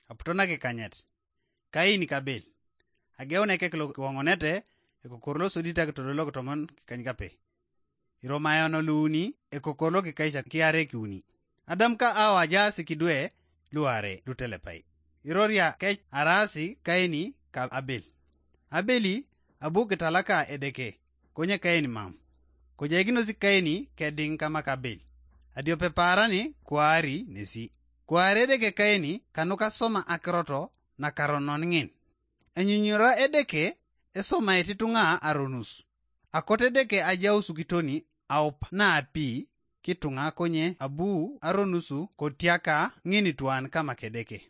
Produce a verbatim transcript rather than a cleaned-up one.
aputo nakikanyet, Kaini ka Abel. Ageun ekek lokiwoŋonete, ekokor losodit akitodolok tomon kikany kape. Iromayon luuni, ekokor lokikaisha kiare kiuni. Adam ka Awa ajaas kidwe luare lutelepai. Iroria kec araasi Kaini ka Abel. Abeli abu kitalaka Edeke, konye Kaini mam. Kojaikinos Kaini kediŋ kama ka Abel. Adiope paarani kuari nesi. Kuari Edeke Kaini kanuka soma akirot nakaronon ŋin. Enyunyura Edeke esomait ituŋa aronus. Akot Edeke ajaus kitoni aup naapi kituŋa konye abu aronusu kotiaka ŋinituan kama Kedeke.